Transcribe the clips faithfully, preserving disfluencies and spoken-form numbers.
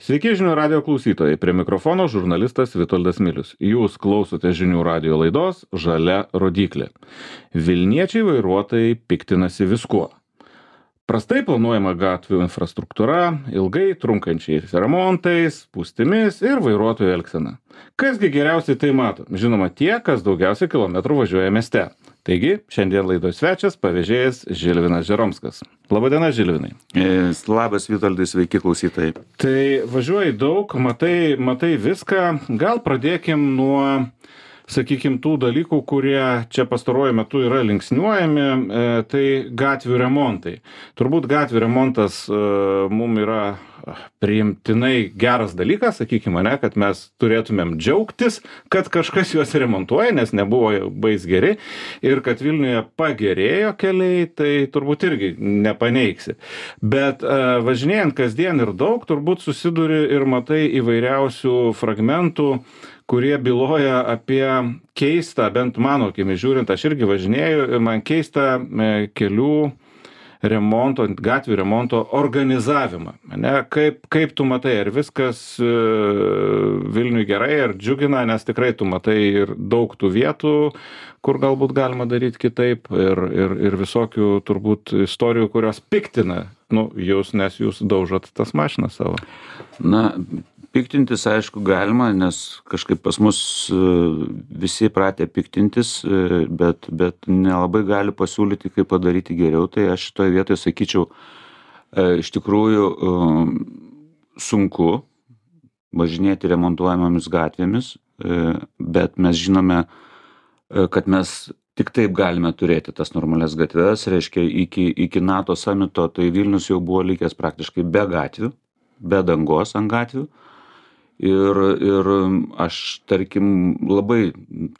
Sveiki žinių radio klausytojai, prie mikrofono žurnalistas Vitoldas Milius. Jūs klausote žinių radio laidos Žalia rodyklė. Vilniečiai vairuotojai piktinasi viskuo. Prastai planuojama gatvių infrastruktūra, ilgai trunkančiais remontais, spūstimis ir vairuotojų elgsena. Kasgi geriausiai tai mato? Žinoma, tie, kas daugiausiai kilometrų važiuoja mieste. Taigi, šiandien laidos svečias pavėžėjas Žilvinas Žeromskas. Labadiena, Žilvinai. Labas, Vitoldai, sveiki klausytojai. Tai važiuoji daug, matai, matai viską. Gal pradėkim nuo, sakykim, tų dalykų, kurie čia pastaruoju metu yra linksniuojami, e, tai gatvių remontai. Turbūt gatvių remontas e, mum yra priimtinai geras dalykas, sakykime, ne, kad mes turėtumėm džiaugtis, kad kažkas juos remontuoja, nes nebuvo bais geri, ir kad Vilniuje pagerėjo keliai, tai turbūt irgi nepaneigsi. Bet e, važinėjant kasdien ir daug, turbūt susiduri ir matai įvairiausių fragmentų, kurie byloja apie keistą, bent mano akimi žiūrint, aš irgi važinėju, ir man keistą e, kelių remonto, gatvių remonto organizavimą. Ne? Kaip, kaip tu matai, ar viskas e, Vilniui gerai, ar džiugina, nes tikrai tu matai ir daug tų vietų, kur galbūt galima daryti kitaip, ir, ir, ir visokių turbūt istorijų, kurios piktina, nu, jūs, nes jūs daužot tas mašinas savo. Na, piktintis, aišku, galima, nes kažkaip pas mus visi pratę piktintis, bet, bet nelabai gali pasiūlyti, kaip padaryti geriau. Tai aš šitoje vietoje sakyčiau, iš tikrųjų sunku važinėti remontuojamomis gatvėmis, bet mes žinome, kad mes tik taip galime turėti tas normalias gatves. Reiškia, iki, iki NATO samito, tai Vilnius jau buvo likęs praktiškai be gatvių, be dangos ant gatvių. Ir, ir aš, tarkim, labai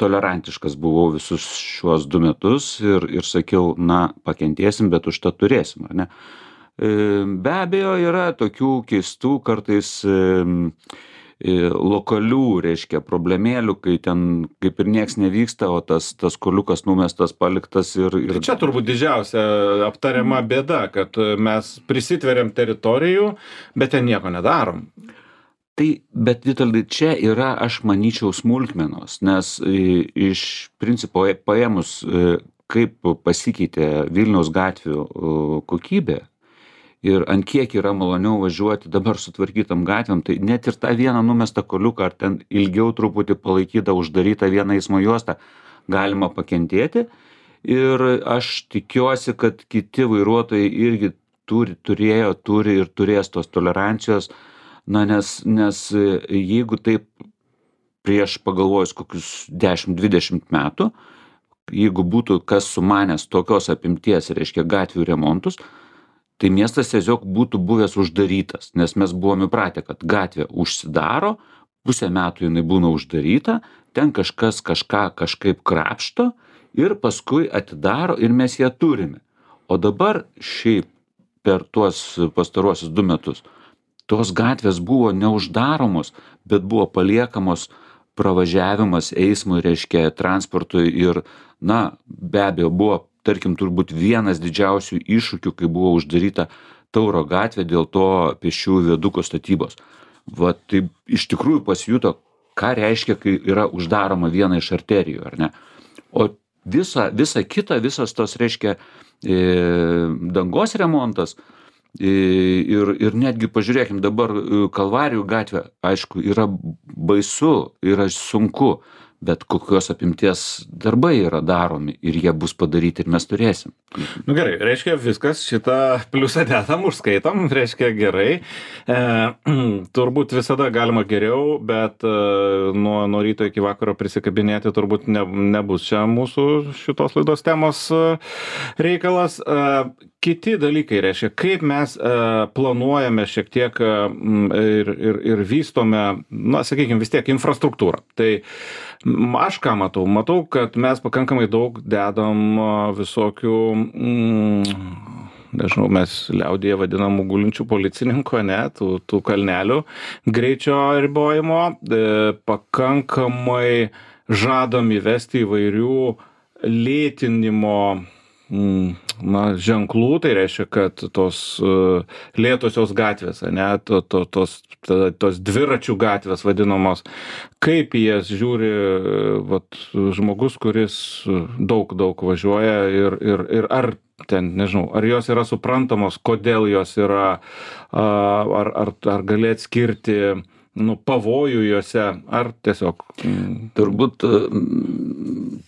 tolerantiškas buvau visus šiuos du metus ir, ir sakiau, na, pakentėsim, bet už tą turėsim, ar ne? Be abejo, yra tokių keistų, kartais lokalių, reiškia, problemėlių, kai ten kaip ir nieks nevyksta, o tas, tas koliukas numestas, paliktas ir... ir... Tai čia turbūt didžiausia aptariama bėda, kad mes prisitveriam teritorijų, bet ten nieko nedarom. Tai, bet Vitoldai, čia yra, aš manyčiau, smulkmenos, nes iš principo paėmus, kaip pasikeitė Vilniaus gatvių kokybė ir ant kiek yra maloniau važiuoti dabar sutvarkytam gatvėm, tai net ir tą vieną numestą koliuką, ar ten ilgiau truputį palaikytą, uždarytą vieną eismo juostą, galima pakentėti. Ir aš tikiuosi, kad kiti vairuotojai irgi turi, turėjo, turi ir turės tos tolerancijos. Na, nes, nes jeigu taip prieš pagalvojus kokius dešimt dvidešimt metų, jeigu būtų kas sumanęs tokios apimties, reiškia, gatvių remontus, tai miestas tiesiog būtų buvęs uždarytas, nes mes buvome įpratę, kad gatvė užsidaro, pusę metų jinai būna uždaryta, ten kažkas kažką kažkaip krapšto ir paskui atidaro ir mes ją turime. O dabar šiaip per tuos pastaruosius du metus tos gatvės buvo neuždaromos, bet buvo paliekamos pravažiavimas eismui, reiškia, transportui ir, na, be abejo, buvo, tarkim, turbūt vienas didžiausių iššūkių, kai buvo uždaryta Tauro gatvė dėl to pėsčiųjų viaduko statybos. Va, tai iš tikrųjų pasijuto, ką reiškia, kai yra uždaroma viena iš arterijų, ar ne? O visa, visa kita, visas tos, reiškia, e, dangos remontas, Ir, ir netgi pažiūrėkim dabar Kalvarijų gatvė, aišku, yra baisu, yra sunku, bet kokios apimties darbai yra daromi ir jie bus padaryti ir mes turėsim. Nu gerai, reiškia viskas, šitą pliusą dedam, užskaitam, reiškia gerai. E, turbūt visada galima geriau, bet e, nuo, nuo ryto iki vakaro prisikabinėti turbūt ne, nebus čia mūsų šitos laidos temos reikalas. E, Kiti dalykai, reiškia, kaip mes e, planuojame šiek tiek e, ir, ir, ir vystome, na, sakykime, vis tiek infrastruktūrą. Tai aš ką matau? Matau, kad mes pakankamai daug dedam visokių, mm, nežinau, mes liaudyje vadinamų gulinčių policininkų, ne, tų, tų kalnelių greičio ribojimo, e, pakankamai žadam įvesti įvairių lėtinimo na, ženklų, tai reiškia, kad tos lėtosios gatvės, ne, to, to, tos, tos dviračių gatvės vadinamos, kaip į jas žiūri vat, žmogus, kuris daug, daug važiuoja ir, ir, ir ar ten, nežinau, ar jos yra suprantamos, kodėl jos yra, ar, ar, ar gali atskirti nu, pavojų juose, ar tiesiog... Turbūt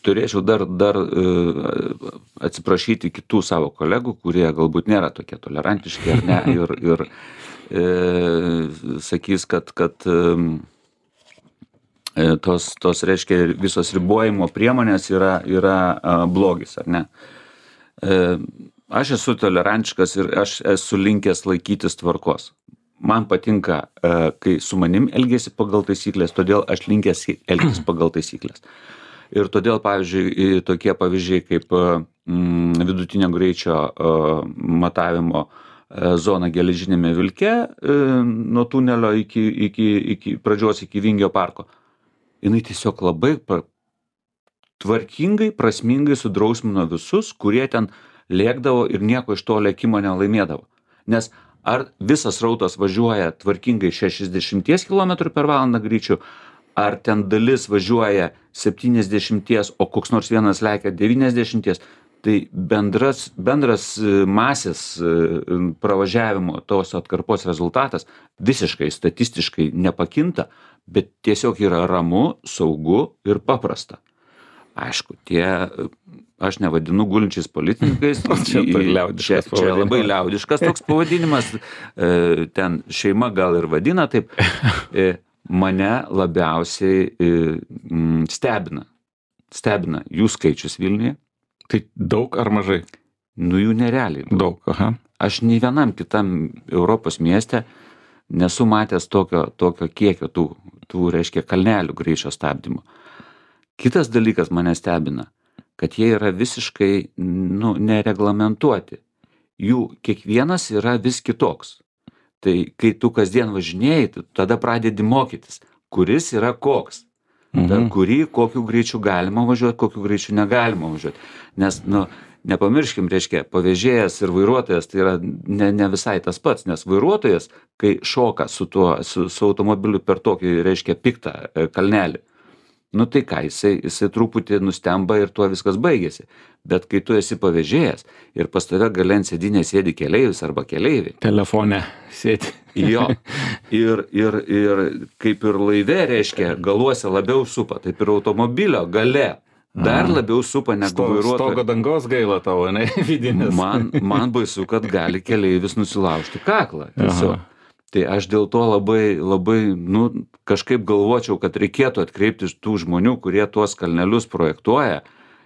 turėčiau dar, dar atsiprašyti kitų savo kolegų, kurie galbūt nėra tokie tolerantiški ar ne, ir, ir e, sakys, kad, kad e, tos, tos, reiškia, visos ribojimo priemonės yra, yra a, blogis, ar ne. E, aš esu tolerantiškas ir aš esu linkęs laikytis tvarkos. Man patinka, kai su manim elgiasi pagal taisyklės, todėl aš linkęs elgtis pagal taisyklės. Ir todėl, pavyzdžiui, tokie pavyzdžiai kaip mm, vidutinio greičio uh, matavimo uh, zona geležinėme vilke uh, nuo tunelio iki, iki, iki pradžios iki Vingio parko, jinai tiesiog labai pra, tvarkingai, prasmingai sudrausmino visus, kurie ten lėkdavo ir nieko iš to lėkimo nelaimėdavo. Nes ar visas rautas važiuoja tvarkingai šešiasdešimties kilometrų per valandą greičiu, ar ten dalis važiuoja septyniasdešimties, o koks nors vienas lekia devyniasdešimties, tai bendras, bendras masės pravažiavimo tos atkarpos rezultatas visiškai statistiškai nepakinta, bet tiesiog yra ramu, saugu ir paprasta. Aišku, tie, aš nevadinu gulinčiais policininkais, čia, čia, čia labai liaudiškas toks pavadinimas, ten šeima gal ir vadina taip, mane labiausiai stebina, stebina jų skaičius Vilniuje. Tai daug ar mažai? Nu jų nerealiai. Daug, aha. Aš nei vienam kitam Europos mieste nesu matęs tokio, tokio kiekio tų, tų, reiškia, kalnelių greičio stabdymo. Kitas dalykas mane stebina, kad jie yra visiškai nu, nereglamentuoti. Jų kiekvienas yra vis kitoks. Tai kai tu kasdien važinėjai, tu tada pradedi mokytis, kuris yra koks. Mhm. Per kurį, kokiu greičiu galima važiuoti, kokiu greičiu negalima važiuoti. Nes, nu, nepamirškim, reiškia, pavėžėjas ir vairuotojas tai yra ne, ne visai tas pats, nes vairuotojas, kai šoka su, tuo, su, su automobiliu per tokį, reiškia, piktą kalnelį, nu tai ką, jisai, jisai truputį nustemba ir tuo viskas baigėsi. Bet kai tu esi pavėžėjas ir pas tave gale ant sėdynės sėdi keleivis arba keleiviai. Telefone sėdi. Jo. Ir, ir, ir kaip ir laive, reiškia, galuose labiau supa, taip ir automobilio gale dar labiau supa negu vairuotojo. Stogo dangos gaila tavo, ne, vidinės. Man, man baisu, kad gali keleivis nusilaužti kaklą. Tiesiog. Aha. Tai aš dėl to labai, labai, nu, kažkaip galvočiau, kad reikėtų atkreipti tų žmonių, kurie tuos kalnelius projektuoja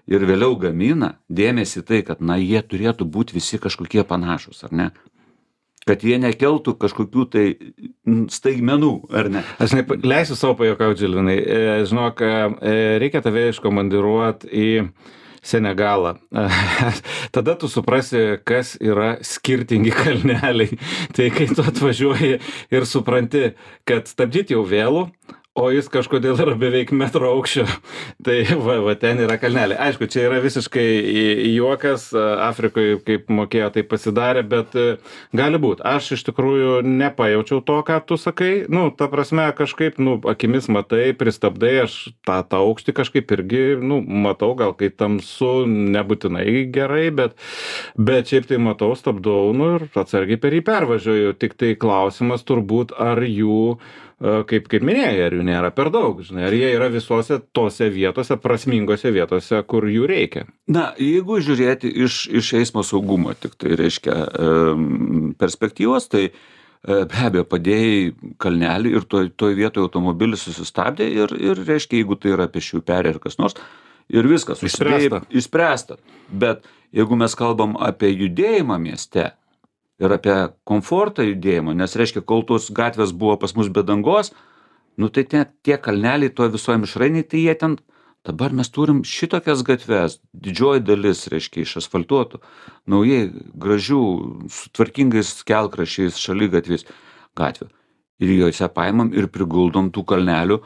ir vėliau gamina, dėmesį tai, kad, na, jie turėtų būti visi kažkokie panašus, ar ne? Kad jie nekeltų kažkokių tai staigmenų, ar ne? Aš ne, leisiu savo pajuokauti, Žilvinai. Žinok, reikia tave iškomandiruoti į Senegalą. Tada tu suprasi, kas yra skirtingi kalneliai. Tai kai tu atvažiuoji ir supranti, kad stabdyti jau vėlų, o jis kažkodėl yra beveik metro aukščio. Tai va, va, ten yra kalneliai. Aišku, čia yra visiškai juokas, Afrikoje kaip mokėjo, tai pasidarė, bet gali būt. Aš iš tikrųjų nepajaučiau to, ką tu sakai. Nu, ta prasme, kažkaip, nu, akimis matai, pristabdai, aš tą, tą aukštį kažkaip irgi, nu, matau, gal kai tamsu nebūtinai gerai, bet, bet šiaip tai matau, stabdau, nu, ir atsargiai per jį pervažiuoju. Tik tai klausimas turbūt, ar jų kaip, kaip minėjai, ar jų nėra per daug, žinai, ar jie yra visose tose vietose, prasmingose vietose, kur jų reikia. Na, jeigu žiūrėti iš, iš eismo saugumo, tik tai reiškia perspektyvos, tai be abejo padėjai kalnelį ir toj, toj vietoje automobilis susistabdė ir, ir reiškia, jeigu tai yra pėsčiųjų perėja ir kas nors, ir viskas, išspręsta. Išspręsta. Bet jeigu mes kalbam apie judėjimą mieste, ir apie komfortą judėjimo, nes reiškia, kol tos gatvės buvo pas mus be dangos, nu tai tie, tie kalneliai to visoje mišrainiai, tai jie ten, dabar mes turim šitokias gatves, didžioji dalis, reiškia, išasfaltuotų, naujai gražių, su tvarkingais kelkrašiais, šaligatviais gatvių. Ir juose paimam ir priguldom tų kalnelių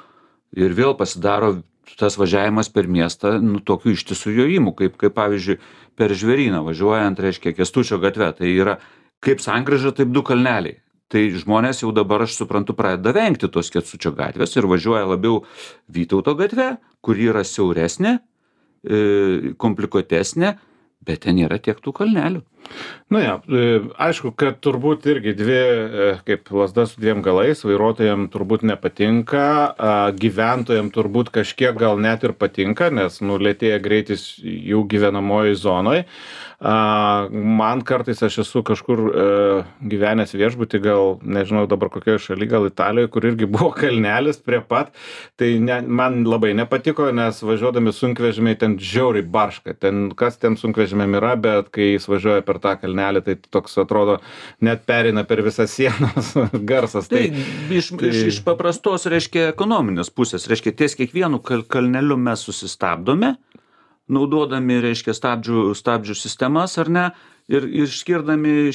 ir vėl pasidaro tas važiavimas per miestą, nu, tokiu ištisu jojimu, kaip, kaip pavyzdžiui, per Žvėryną važiuojant, reiškia, Kęstučio gatve, tai yra kaip sankryža, taip du kalneliai. Tai žmonės jau dabar, aš suprantu, pradeda vengti tos Kęstučio gatvės ir važiuoja labiau Vytauto gatve, kuri yra siauresnė, komplikuotesnė, bet ten yra tiek tų kalnelių. Na ja, aišku, kad turbūt irgi dvi, kaip lazda su dviem galais, vairuotojams turbūt nepatinka, gyventojams turbūt kažkiek gal net ir patinka, nes nulėtėja greitis jų gyvenamoji zonoje. Man kartais aš esu kažkur gyvenęs viešbutį, gal nežinau dabar kokioje šalyje, gal Italijoje, kur irgi buvo kalnelis prie pat, tai ne, man labai nepatiko, nes važiuodami sunkvežimiai ten žiauriai barška, ten kas ten sunkvežimiam yra, bet kai jis važiuoja per tą kalnelį, tai toks atrodo, net perina per visą sienos garsas. Tai, tai, iš, tai... Iš, iš paprastos, reiškia, ekonominės pusės, reiškia, ties kiekvienu kal, kalneliu mes susistabdome, naudodami, reiškia, stabdžių, stabdžių sistemas, ar ne, ir, ir skirdami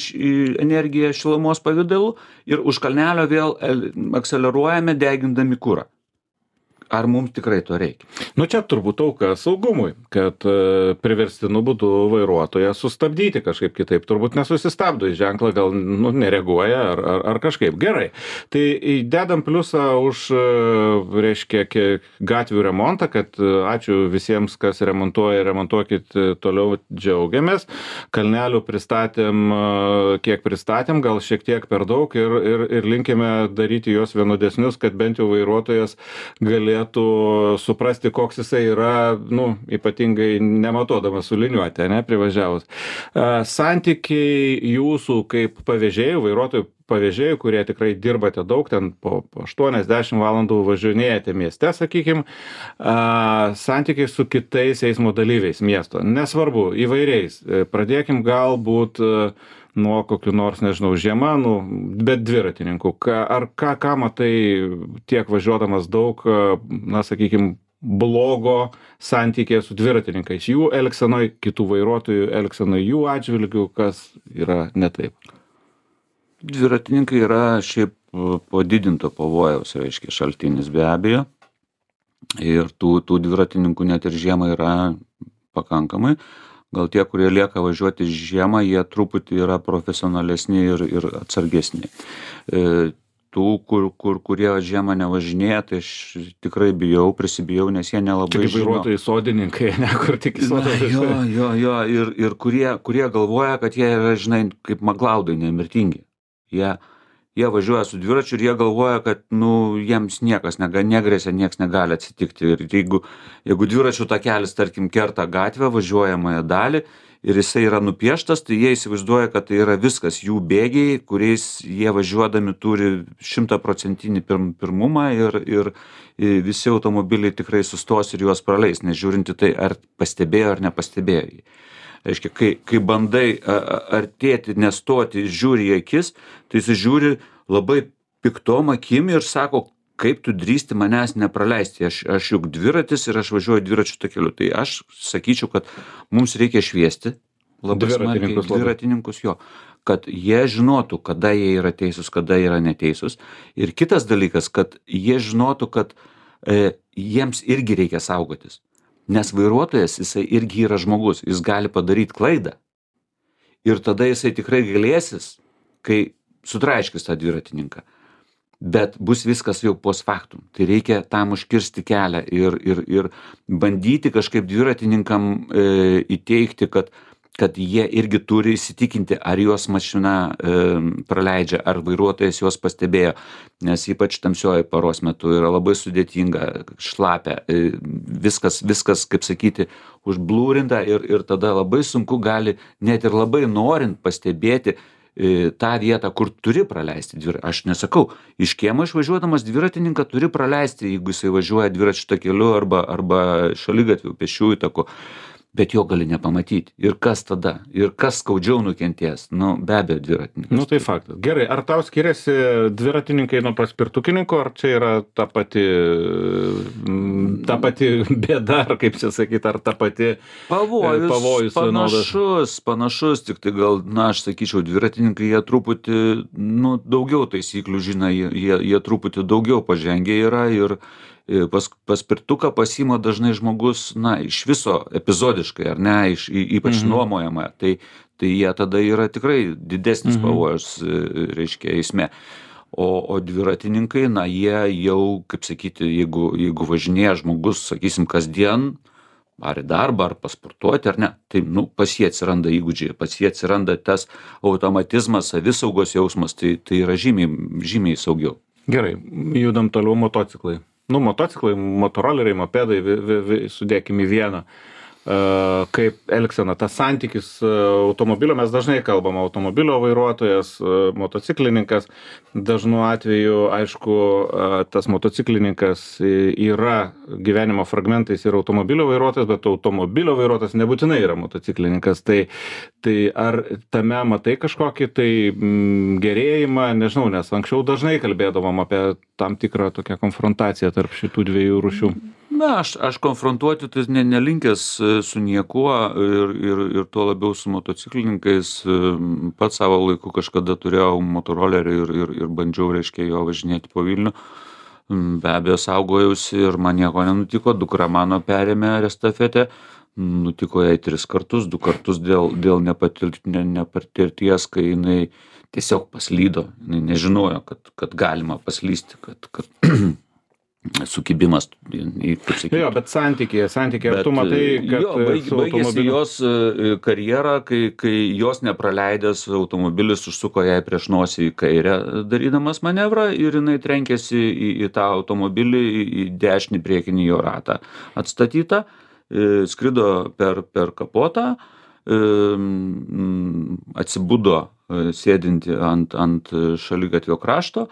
energiją šilumos pavidalu, ir už kalnelio vėl akceleruojame, degindami kurą. Ar mums tikrai to reikia? Nu čia turbūt auka saugumui, kad e, priverstinu būdu vairuotoją sustabdyti kažkaip kitaip. Turbūt nesusistabdo į ženklą, gal nu, nereaguoja ar, ar, ar kažkaip. Gerai. Tai dedam pliusą už, reiškia, gatvių remontą, kad ačiū visiems, kas remontuoja, remontuokit toliau, džiaugiamės. Kalnelių pristatėm, kiek pristatėm, gal šiek tiek per daug ir, ir, ir linkime daryti juos vienodesnius, kad bent jau vairuotojas galėtų suprasti, koks jisai yra, nu, ypatingai nematodamas suliniuoti, ne, privažiavus. Santykiai jūsų kaip pavėžėjų, vairuotojų pavėžėjų, kurie tikrai dirbate daug, ten po, po aštuoniasdešimt valandų važinėjate mieste, sakykim, santykiai su kitais eismo dalyviais miesto. Nesvarbu, įvairiais. Pradėkim galbūt nuo kokių nors, nežinau, žiema, nu, bet dviratininkų. Ka, ar ką, ką matai tiek važiuodamas daug, na, sakykime, blogo santykė su dviratininkais, jų elgsenoj, kitų vairuotojų elgsenoj, jų atžvilgių, kas yra ne taip? Dviratininkai yra šiaip padidinto pavojaus, reiškia, šaltinis be abejo. Ir tų, tų dviratininkų net ir žiemą yra pakankamai. Gal tie, kurie lieka važiuoti žiemą, jie truputį yra profesionalesni ir, ir atsargesni. E, tų, kur, kur, kurie žiemą nevažinėja, tai aš tikrai bijau, prisibijau, nes jie nelabai žino. Tik vairuotojai sodininkai, ne, kur tik sodininkai. Jo, jo, jo, ir, ir kurie, kurie galvoja, kad jie yra, žinai, kaip maglaudai, nemirtingi. Jie, jie važiuoja su dviračiu ir jie galvoja, kad, nu, jiems niekas nega, negrėsia, niekas negali atsitikti. Ir jeigu, jeigu dviračių takelis, tarkim, kerta gatvę, važiuojamąją dalį ir jisai yra nupieštas, tai jie įsivaizduoja, kad tai yra viskas jų bėgiai, kuriais jie važiuodami turi šimtaprocentinį pirm, pirmumą ir, ir visi automobiliai tikrai sustos ir juos praleis, nežiūrinti tai, ar pastebėjo ar nepastebėjo. Reiškia, kai, kai bandai artėti, nestoti, žiūri į akis, tai jis žiūri labai piktom akim ir sako, kaip tu drįsti manęs nepraleisti. Aš, aš juk dviratis ir aš važiuoju dviračių takeliu. Tai aš sakyčiau, kad mums reikia šviesti labai smarkiai dviratininkus, jo, kad jie žinotų, kada jie yra teisūs, kada yra neteisūs. Ir kitas dalykas, kad jie žinotų, kad e, jiems irgi reikia saugotis. Nes vairuotojas, jisai irgi yra žmogus, jis gali padaryti klaidą. Ir tada jisai tikrai galėsis, kai sutraiškis tą dviratininką. Bet bus viskas jau post factum. Tai reikia tam užkirsti kelią ir, ir, ir bandyti kažkaip dviratininkam e, įteikti, kad, kad jie irgi turi įsitikinti, ar juos mašina e, praleidžia, ar vairuotojas juos pastebėjo. Nes ypač tamsioji paros metu yra labai sudėtinga, šlapia, e, viskas, viskas, kaip sakyti, užblūrinta ir, ir tada labai sunku gali, net ir labai norint pastebėti tą vietą, kur turi praleisti dviratį. Aš nesakau, iš kiemo išvažiuodamas dviratininką turi praleisti, jeigu jisai važiuoja dviračių takeliu arba, arba šaligatviu, pėsčiųjų taku, bet jo gali nepamatyti. Ir kas tada? Ir kas skaudžiau nukentės? Nu, be abejo, dviratininkas. Nu, tai faktas. Gerai, ar tau skiriasi dviratininkai nuo paspirtukininkų, ar čia yra ta pati ta pati bėda, ar kaip čia sakyti, ar ta pati Pavojus, pavojus vienodas? panašus, panašus, tik tai gal, na, aš sakyčiau, dviratininkai jie truputį, nu, daugiau taisyklių žino, jie, jie, jie truputį daugiau pažengę yra ir e, pas, paspirtuką pasima dažnai žmogus, na, iš viso epizodiškai, ar ne, iš, y- ypač Mhm. nuomojama, tai, tai jie tada yra tikrai didesnis Mhm. pavojus, e, reiškia, eisme. O, o dviratininkai, na, jie jau, kaip sakyti, jeigu, jeigu važinėja žmogus, sakysim, kasdien, ar į darbą, ar pasportuoti, ar ne, tai, nu, pas jie atsiranda įgūdžiai, pas jie atsiranda tas automatizmas, savisaugos jausmas, tai, tai yra žymiai, žymiai saugiau. Gerai, judam toliau motociklai. Nu, motociklai, motoroleriai, mopedai, vi, vi, vi, sudėkim į vieną. Uh, kaip elgsena, tas santykis uh, automobilio, mes dažnai kalbam, automobilio vairuotojas, uh, motociklininkas, dažnu atveju, aišku, uh, tas motociklininkas y- yra gyvenimo fragmentais ir automobilio vairuotojas, bet automobilio vairuotojas nebūtinai yra motociklininkas. Tai, tai ar tame matai kažkokį tai mm, gerėjimą, nežinau, nes anksčiau dažnai kalbėdavom apie tam tikrą tokią konfrontaciją tarp šitų dviejų rūšių. Na, aš, aš konfrontuoti tai ne, nelinkęs e, su niekuo ir, ir, ir tuo labiau su motociklininkais. E, Pats savo laiku kažkada turėjau motorolerį ir, ir, ir bandžiau, reiškia, jo važinėti po Vilnių. Mm, Be abejo, saugojausi ir man nieko nenutiko. Dukra mano perėmė estafetę. Nutiko jai tris kartus, du kartus dėl, dėl nepatir, ne, nepatirties, kai jinai tiesiog paslydo. Jinai nežinojo, kad, kad galima paslysti, kad, kad sukibimas, į- kaip sakyti. Jo, bet santykėje, santykėje, ar tu matai, kad jo, baig, su baigėsi automobiliu... jos e, karjera, kai, kai jos nepraleidęs automobilis užsuko jai prieš nosį į kairę, darydamas manevrą ir jinai trenkėsi į, į tą automobilį, į, į dešinį priekinį jo ratą atstatytą, e, skrido per, per kapotą, e, mm, atsibudo e, sėdinti ant, ant šaligatvio krašto.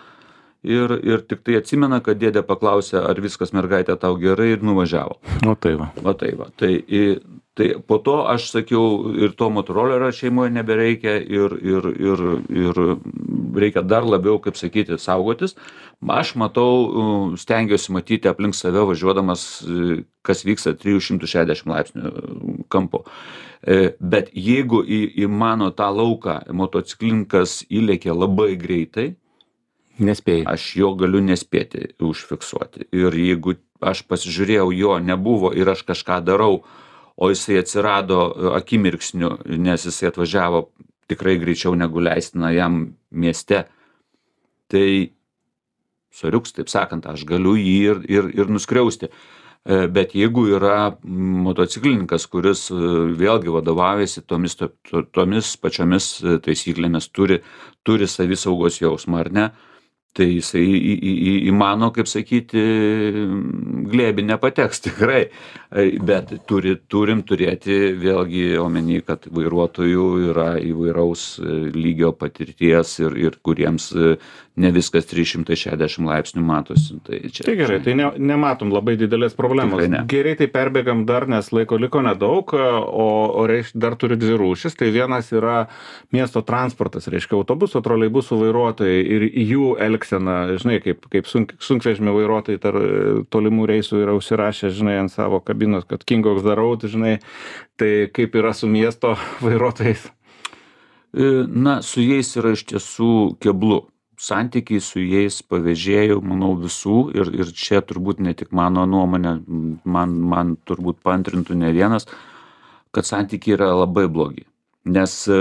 Ir, ir tik tai atsimena, kad dėdė paklausė, ar viskas mergaitė tau gerai ir nuvažiavo. O tai va. Va tai va. Tai, i- tai po to aš sakiau, ir to motorolerio šeimoje nebereikia ir, ir, ir, ir reikia dar labiau, kaip sakyti, saugotis. Aš matau, uh, stengiuosi matyti aplink save važiuodamas, uh, kas vyksta trijų šimtų šešiasdešimt laipsnių kampo. E, Bet jeigu į, į mano tą lauką motociklininkas įlėkė labai greitai, Nespėjai. aš jo galiu nespėti užfiksuoti. Ir jeigu aš pasižiūrėjau, jo nebuvo ir aš kažką darau, o jisai atsirado e, akimirksniu, nes jisai atvažiavo tikrai greičiau negu leistina jam mieste, tai soriuks, taip sakant, aš galiu jį ir, ir, ir nuskriausti. E, Bet jeigu yra motociklininkas, kuris e, vėlgi vadovaujasi tomis, to, to, tomis pačiomis e, taisyklėmis, turi, turi savisaugos jausmą ar ne, tai jisai į, į, į, į mano, kaip sakyti, glėbį nepateks tikrai. E, Bet turi, turim turėti vėlgi omeny, kad vairuotojų yra įvairaus e, lygio patirties ir, ir kuriems e, ne viskas trys šimtai šešiasdešimt laipsnių matosi. Tai, čia, Tai gerai, tai ne, nematom labai didelės problemos. Tikrai ne. Greitai perbėgam dar, nes laiko liko nedaug, o, o reiš, dar turi dvi rūšis. Tai vienas yra miesto transportas, reiškia autobuso, troleibusų vairuotojai ir jų elgsena, žinai, kaip, kaip sunk, sunkvežimio vairuotojai tar tolimų reisų yra užsirašę, žinai, ant savo kabinos, kad King of the Road, žinai, tai kaip yra su miesto vairuotojais. E, Na, su jais yra iš tiesų keblu. Santykiai su jais pavėžėjų, manau, visų ir, ir čia turbūt ne tik mano nuomonė, man, man turbūt paantrintų ne vienas, kad santykiai yra labai blogi. Nes e,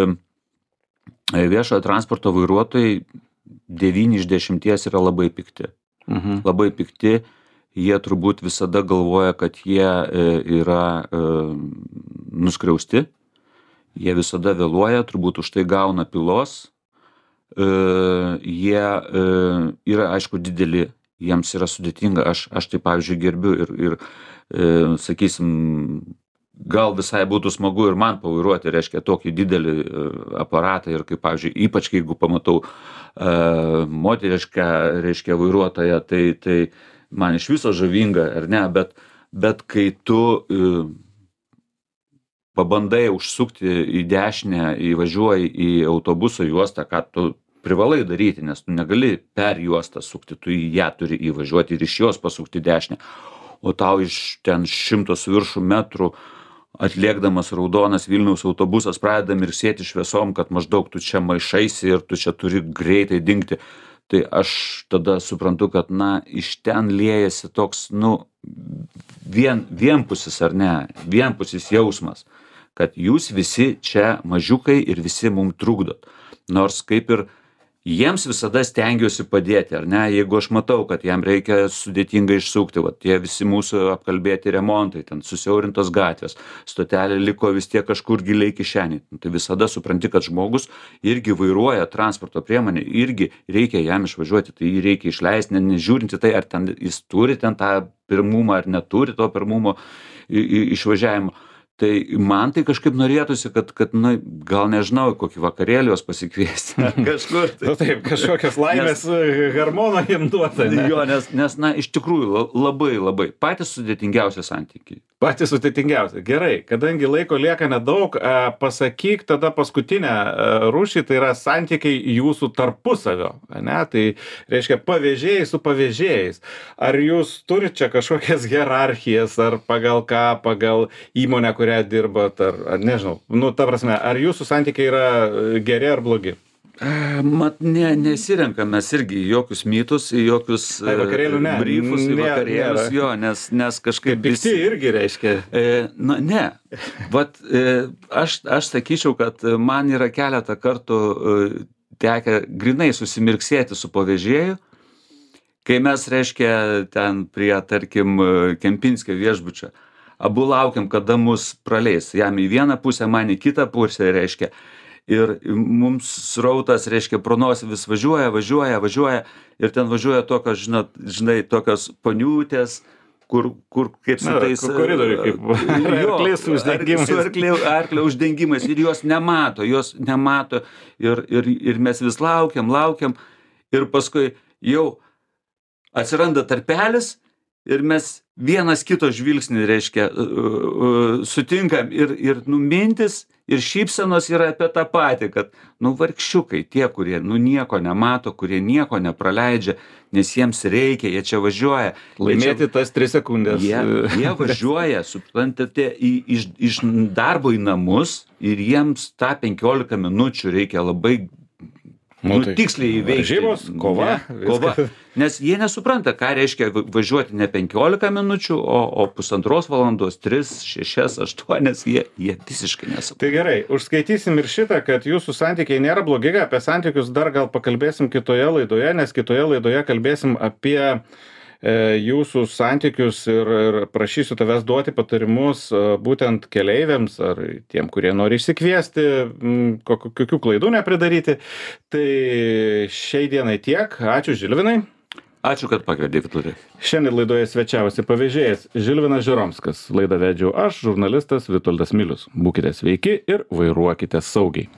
viešojo transporto vairuotojai devyni iš dešimties yra labai pikti. Mhm. Labai pikti, jie turbūt visada galvoja, kad jie e, yra e, nuskriausti, jie visada vėluoja, turbūt už tai gauna pylos. E, Jie e, yra, aišku, dideli, jiems yra sudėtinga. Aš, aš tai, pavyzdžiui, gerbiu ir, ir e, sakysim, gal visai būtų smagu ir man pavairuoti, reiškia, tokį didelį e, aparatą ir kaip, pavyzdžiui, ypač jeigu pamatau e, moterišką, reiškia, vairuotoją, tai, tai man iš viso žavinga, ar ne, bet, bet kai tu e, pabandai užsukti į dešinę, įvažiuoji į autobuso juostą, ką tu privalai daryti, nes tu negali per juostą sukti, tu į ją turi įvažiuoti ir iš jos pasukti dešinę. o tau iš ten šimto su viršum metrų atlėkdamas raudonas Vilniaus autobusas pradeda mirksėti šviesom, kad maždaug tu čia maišaisi ir tu čia turi greitai dingti. Tai aš tada suprantu, kad, na, iš ten liejasi toks, nu, vien, vienpusis ar ne, vienpusis jausmas, kad jūs visi čia mažiukai ir visi mum trukdot. Nors kaip ir jiems visada stengiuosi padėti, ar ne, jeigu aš matau, kad jam reikia sudėtingai išsukti, va, tie visi mūsų apkalbėti remontai, ten susiaurintos gatvės, stotelė liko vis tiek kažkur giliai kišeniai. Tai visada supranti, kad žmogus irgi vairuoja transporto priemonę, irgi reikia jam išvažiuoti, tai jį reikia išleisti, ne, nežiūrinti tai, ar ten jis turi ten tą pirmumą, ar neturi to pirmumo išvažiavimo. Tai man tai kažkaip norėtųsi, kad, kad na, gal nežinau, kokį vakarėlį jos pasikviesti. Kažkur. Tai. Nu taip, kažkokias laimės nes, hormoną jiem duota. Ne? Jo, nes, nes, na, iš tikrųjų labai, labai. Patys sudėtingiausi santykiai. Patys sudėtingiausi. Gerai, kadangi laiko lieka nedaug, pasakyk tada paskutinę rūšį, tai yra santykiai jūsų tarpusavio. Ne? Tai reiškia pavėžėjai su pavėžėjais. Ar jūs turite čia kažkokias hierarchijas, ar pagal ką, pagal įmonę, kurią dirbat, ar, ar nežinau, nu, ta prasme, ar jūsų santykiai yra geri ar blogi? Mat, ne, nesirenkam mes irgi jokius mitus, jokius Ai, vakarėlių ne. briefus, Ne, vakarėlius, nėra. jo, nes, nes kažkaip... Pikti irgi reiškia. E, na, ne. Vat, e, aš, aš sakyčiau, kad man yra keletą kartų e, tekę grinai susimirksėti su pavėžėju, kai mes, reiškia, ten prie, tarkim, Kempinskio viešbučio, abu laukiam, kada mus praleis. Jam į vieną pusę, man į kitą pusę, reiškia. Ir mums srautas, reiškia, pro nosį vis važiuoja, važiuoja, važiuoja. Ir ten važiuoja tokios, žinot, žinai, tokios poniutės, kur, kur kaip su Na, tais... koridoriai, kaip arklės uždengimais. Su arklio, arklio uždengimais. Ir jos nemato, jos nemato. Ir, ir, ir mes vis laukiam, laukiam. Ir paskui jau atsiranda tarpelis. Ir mes vienas kito žvilgsnį, reiškia, uh, uh, sutinkam ir, ir nu, mintis ir šypsenos yra apie tą patį, kad, nu, vargšiukai, tie, kurie, nu, nieko nemato, kurie nieko nepraleidžia, nes jiems reikia, jie čia važiuoja. Laimėti čia, tas tris sekundės. Jie, jie važiuoja, suprantate, į, iš, iš darbo į namus ir jiems tą penkiolika minučių reikia labai Nu, nu, tai tiksliai įveikti. varžybos, kova, Ne, kova. Nes jie nesupranta, ką reiškia va- važiuoti ne penkiolika minučių, o, o pusantros valandos, tris, šešias, aštuonias, jie, jie visiškai nesupranta. Tai gerai, užskaitysim ir šitą, kad jūsų santykiai nėra blogi, apie santykius dar gal pakalbėsim kitoje laidoje, nes kitoje laidoje kalbėsim apie e, jūsų santykius ir, ir prašysiu tavęs duoti patarimus e, būtent keleiviams ar tiem, kurie nori išsikviesti, m, kokių, kokių klaidų nepridaryti. Tai šiai dienai tiek. Ačiū, Žilvinai. Ačiū, kad pakvietei, Vitulį. Šiandien laidoje svečiavosi pavėžėjas Žilvinas Žeromskas. Laidą vedžiau aš, žurnalistas Vitoldas Milius. Būkite sveiki ir vairuokite saugiai.